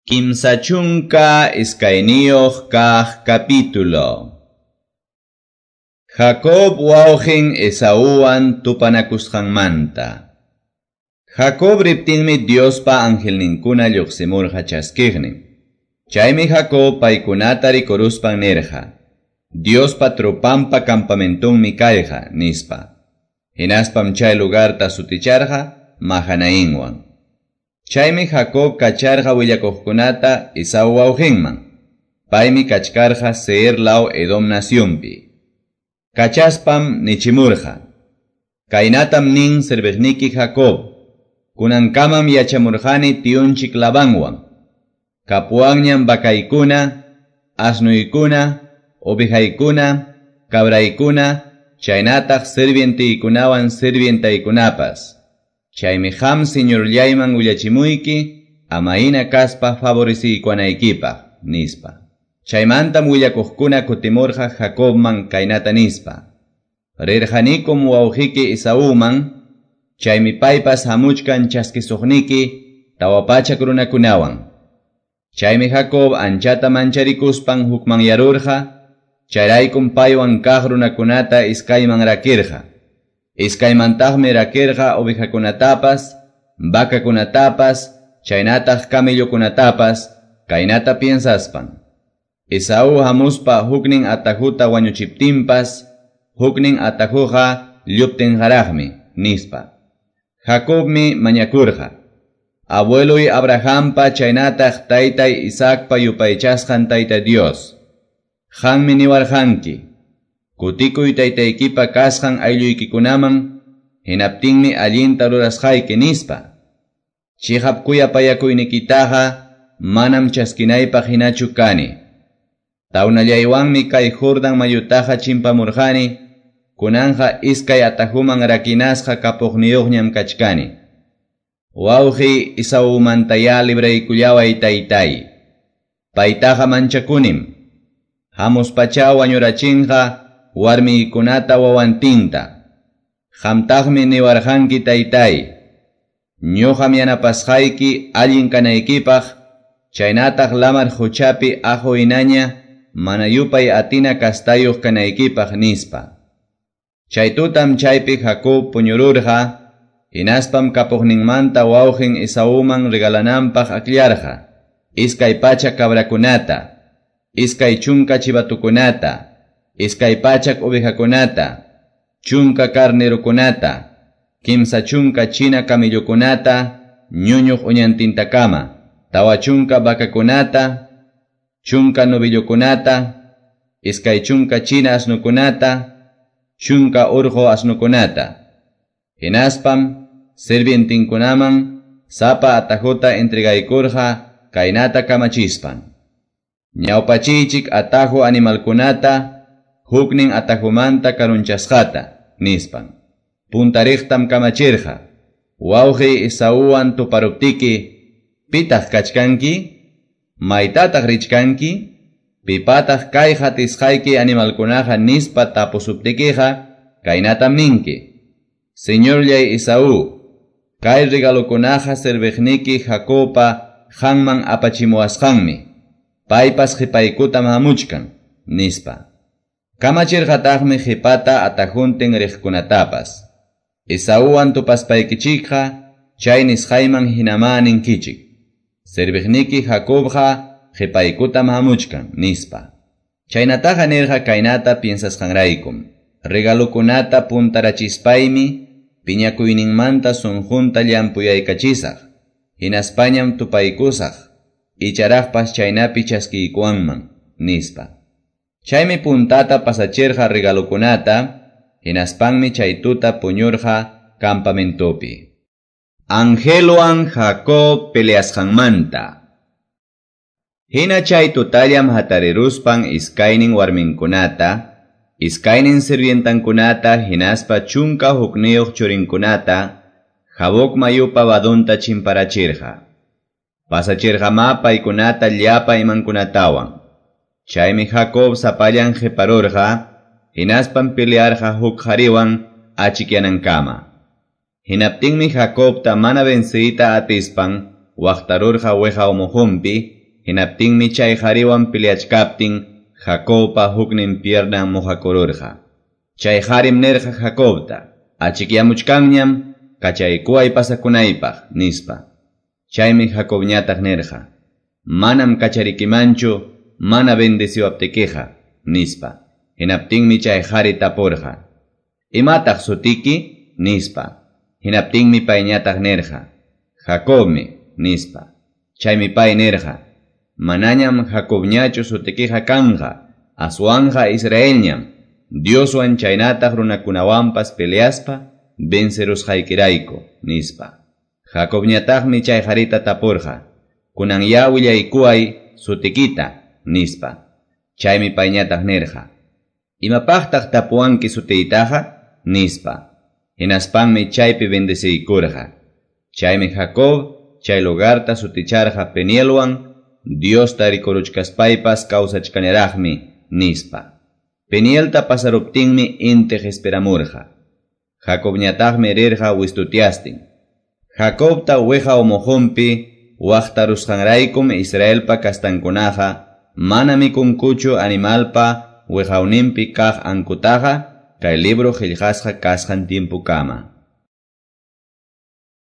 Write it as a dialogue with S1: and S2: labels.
S1: 32 kaq capítulo. Jacob wawqin Esauwan tupanakusqanmanta. Jacob riptinmi Diospa angelninkuna lluqsimurqa chaskiqnin. Chaymi Jacob paykunata rikuruspan nirqa: Diospa tropanpa campamentunmi kayqa, nispa. Hinaspam chay lugarta suticharqa Mahanainwan. Chaymi Jacob kacharqa willakuqkunata Esau wawqinman. Paymi kachkarqa Seir law Edom nacionpi. Kachaspam nichimurqa: Kaynatam nin serviqniki Jacob, kunankamam yachamurqani tiyunchik Labanwan. Kapuwanñam vacaykuna, asnuykuna, ovejaykuna, cabraykuna, chaynataq sirvientiykunawan sirvientaykunapas. Chaymi qam señorllayman willachimuyki, amaina kaspa favoreciykuwanaykipaq, nispa. Chaymantam willakuqkuna kutimurqa Jacobman kaynata nispa: Rirqanikum wawqiki Esauman, chaymi paypas hamuchkan chaskisuqniki 400 runakunawan. Chaymi Jacob anchata mancharikuspan hukmanyarurqa, chayraykum paywan kaq runakunata iskayman rakirqa. Iskaymantaqmi rakirqa ovejakunatapas, vacakunatapas, chaynataq camellokunatapas, kaynata piensaspan: Esaú hamuspa huknin atajuta wañuchiptinpas, huknin atajuqa lluptinqaraqmi, nispa. Jacobmi mañakurqa: Abueloy Abrahampa chaynataq taytay Isaacpa yupaychasqan Tayta Dios, qanmi niwarqanki: Kutikuy taytaykipa kasqan aylluykikunaman, hinaptinmi allinta rurasqayki, nispa. Chiqap kuyapayakuynikitaqa manam chaskinaypaq hinachu kani. Tawnallaywanmi kay Jordan mayutaqa chimpamurqani, kunanqa iskay atajuman rakinasqa kapuqniyuqñam kachkani. Wawqi Esaumantayá libraykullaway taytay. Paytaqa manchakunim. Hamuspacha wañurachinqa warmiykunata wawantinta. Qamtaqmi niwarqanki taytay: Ñuqam yanapasqayki allin kanaykipaq, chaynataq lamar quchapi aqu hinaña mana yupay atina kastayuq kanaykipaq, nispa. Chay tutam chaypi Jacob puñururqa, hinaspam kapuqninmanta wawqin Esauman regalananpaq akllarqa 200 cabrakunata, 20 chivatukunata, 200 ovejakunata, 10 carnerokunata, 30 china camellokunata, ñuñuq uñantintakama, 40 vacakunata, 10 novillokunata, 20 china asnukunata, 10 urqu asnukunata. Hinaspam sirvientinkunaman sapa atajuta entregaykurqa kaynata kamachispan: Ñawpachiychik ataju animalkunata, huknin atajumanta karunchasqata, nispan. Puntariqtam kamachirqa: Wawqi Esauwan tuparuptiki, pitaq kachkanki? Maytataq richkanki? Pipataq kay hatisqayki animalkunaqa, nispa tapusuptikiqa, kaynatam ninki: Señorllay Esaú, kay regalokunaqa serviqniki Jacobpa qanman apachimuwasqanmi, paypas qhipaykutam hamuchkan, nispa. Kamachirqataqmi qhipata atajuntin riqkunatapas: Esauwan tupaspaykichikqa chay nisqayman hinamá ninkichik: Serviqniki Jacobqa qhipaykutam hamuchkan, nispa. Chaynataqa nirqa kaynata piensasqanraykum: Regalokunata puntarachispaymi piñakuyninmanta sunqunta llampuyaycachisaq, hinaspañam tupaykusaq, icharaqpas chaynapi chaskiykuwanman, nispa. Chaymi puntata pasachirqa regalokunata, hinaspanmi chay tuta puñurqa campamentopi. Angelwan Jacob peleasqanmanta. Hina chay tutallam hatariruspan iskaynin warminkunata, iskaynin sirvientankunata, hinaspa 11 churinkunata, Jaboc mayupa vadunta chimparachirqa. Pasachirqamá paykunata llapa imankunatawan. Chaymi Jacob sapallan qiparurqa, hinaspam pelearqa huk qhariwan achikyanankama. Hinaptinmi Jacobta mana venciyta atispan waqtarurqa weqaw muhunpi, Hinaptinmi chay qariwan peleachkaptin Jacobpa huknin piernan mojakururqa. Chay qarim nirqa Jacobta: "Achikyamuchkanñam, kachaykuway pasakunaypaq", nispa. Chaymi Jacobñataq nirqa: "Manam kacharikimanchu mana bendeciwaptikiqa", nispa. Hinaptinmi chay qari tapurqa: "Imataq sutiki?" nispa. Hinaptinmi payñataq nirqa: "Jacobmi", nispa. Chaymi pay nirqa: "Manañam Jacobñachu sutikiqa kanqa, aswanqa Israelñam, Dioswan chaynataq runakunawanpas peleaspa vencerusqaykirayku", nispa. Jacobñataqmi chay qarita tapurqa: "Kunanyá willaykuway sutikita", nispa. Chaymi payñataq nirqa: "Imapaqtaq tapuwanki sutiytaqa?" nispa. Hinaspanmi chaypi bendeciykurqa. Chaymi Jacob chay lugarta suticharqa Penielwan, Diosta rikuruchkaspaypas kawsachkaniraqmi, nispa. Penielta pasaruptinmi inti qispiramurqa. Jacobñataqmi rirqa wistutiastin. Jacobta wiqaw muhunpi waqtarusqanraykum Israelpa kastankunaqa mana mikunkuchu animalpa wiqawninpi kaq ankutaqa kay libro qillqasqa kasqan tiempukama.